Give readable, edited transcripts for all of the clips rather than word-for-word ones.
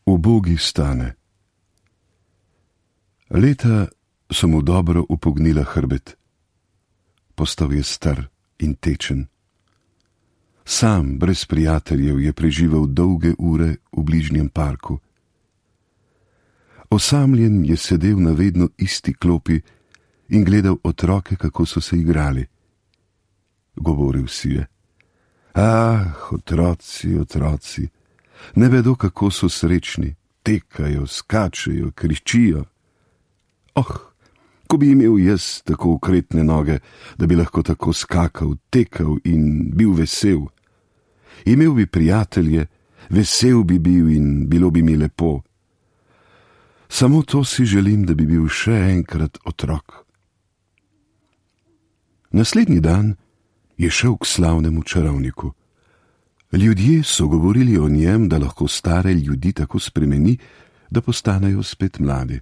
Ubogi Stane. Leta so mu dobro upognila hrbet. Postal je star in tečen. Sam, brez prijateljev, je preživel dolge ure v bližnjem parku. Osamljen je sedel na vedno isti klopi in gledal otroke, kako so se igrali. Govoril si je: otroci, otroci, ne vedo, kako so srečni, tekajo, skačejo, kričijo. Ko bi imel jaz tako okretne noge, da bi lahko tako skakal, tekal in bil vesel. Imel bi prijatelje, vesel bi bil in bilo bi mi lepo. Samo to si želim, da bi bil še enkrat otrok. Naslednji dan je šel k slavnemu čarovniku. Ljudje so govorili o njem, da lahko stare ljudi tako spremeni, da postanejo spet mladi.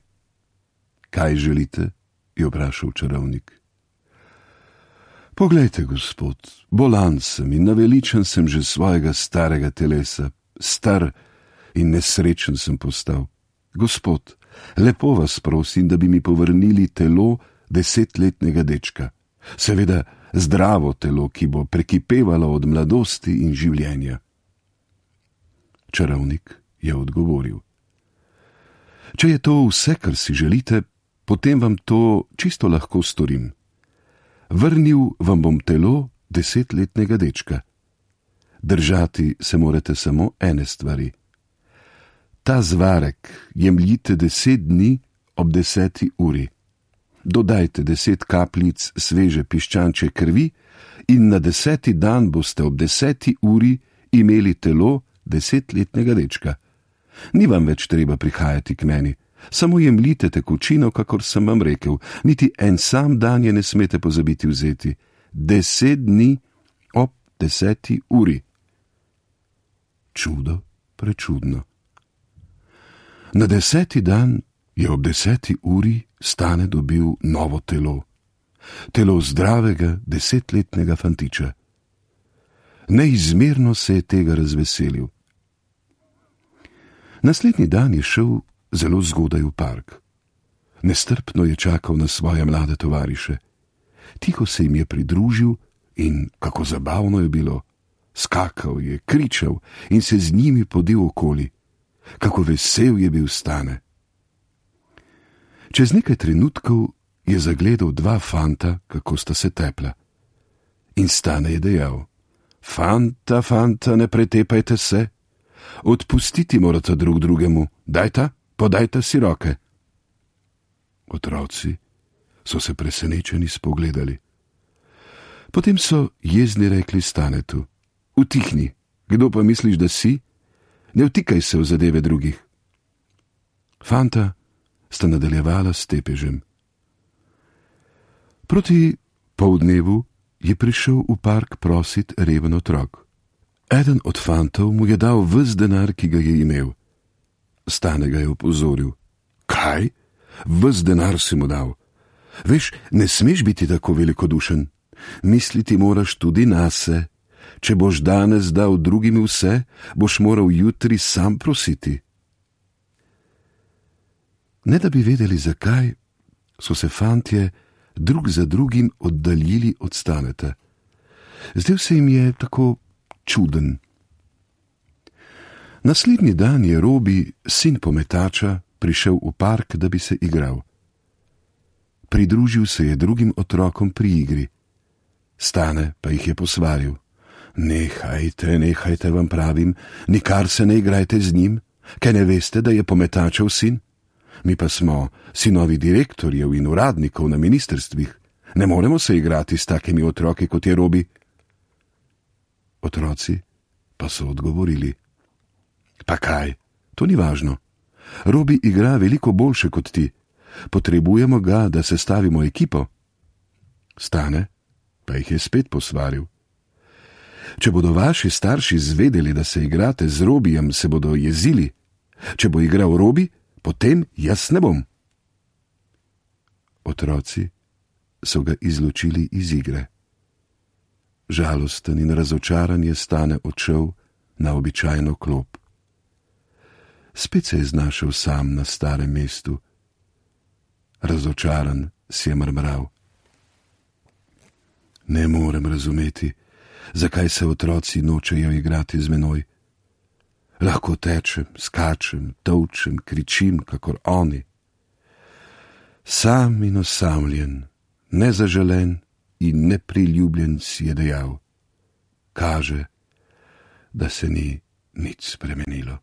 Kaj želite? Je vprašal čarovnik. Poglejte, gospod, bolan sem in naveličan sem že svojega starega telesa, star in nesrečen sem postal. Gospod, lepo vas prosim, da bi mi povrnili telo 10-letnega dečka. Seveda zdravo telo, ki bo prekipevalo od mladosti in življenja. Čarovnik je odgovoril: Če je to vse, kar si želite, potem vam to čisto lahko storim. Vrnil vam bom telo 10-letnega dečka. Držati se morate samo ene stvari. Ta zvarek jemljite 10 dni ob 10. uri. Dodajte 10 kapljic sveže piščančje krvi in na 10. dan boste ob 10. uri imeli telo 10-letnega dečka. Ni vam več treba prihajati k meni. Samo jemljite tekočino, kakor sem vam rekel, niti en sam dan je ne smete pozabiti vzeti. 10 dni ob 10. uri. Čudo, prečudno. Na 10. dan je ob 10. uri Stane dobil novo telo. Telo zdravega 10-letnega fantiča. Neizmerno se je tega razveselil. Naslednji dan je šel zelo zgodaj v park. Nestrpno je čakal na svoje mlade tovariše. Tiho se jim je pridružil in kako zabavno je bilo. Skakal je, kričal in se z njimi podil okoli. Kako vesel je bil Stane. Čez nekaj trenutkov je zagledal 2 fanta, kako sta se tepla. In Stane je dejal: Fanta, fanta, ne pretepajte se. Odpustiti morate drug drugemu. Podajta si roke. Otroci so se presenečeni spogledali. Potem so jezni rekli Stanetu: Utihni, kdo pa misliš, da si? Ne vtikaj se v zadeve drugih. Fanta sta nadaljevala s tepežem. Proti poldnevu je prišel v park prosit reven otrok. Eden od fantov mu je dal ves denar, ki ga je imel. Stane ga je opozoril: Kaj? Ves denar si mu dal. Veš, ne smeš biti tako velikodušen. Misliti moraš tudi nase. Če boš danes dal drugim vse, boš moral jutri sam prositi. Ne da bi vedeli zakaj, so se fantje drug za drugim oddaljili od Staneta. Zdel se jim je tako čuden. Naslednji dan je Robi, sin pometača, prišel v park, da bi se igral. Pridružil se je drugim otrokom pri igri. Stane pa jih je posvaril: Nehajte, vam pravim, nikar se ne igrajte z njim, kaj ne veste, da je pometačev sin? Mi pa smo sinovi direktorjev in uradnikov na ministrstvih. Ne moremo se igrati s takimi otroki, kot je Robi. Otroci pa so odgovorili: Pa kaj, to ni važno. Robi igra veliko boljše kot ti. Potrebujemo ga, da sestavimo ekipo. Stane pa jih je spet posvaril: Če bodo vaši starši zvedeli, da se igrate z Robijem, se bodo jezili. Če bo igral Robi, potem jaz ne bom. Otroci so ga izločili iz igre. Žalosten in razočaran je Stane odšel na običajno klop. Spet se je znašel sam na starem mestu. Razočaran si je mrmral. Ne morem razumeti, zakaj se otroci nočejo igrati z menoj. Lahko tečem, skačem, tolčem, kričim, kakor oni. Sam in osamljen, nezaželen in nepriljubljen si je dejal. Kaže, da se ni nič spremenilo.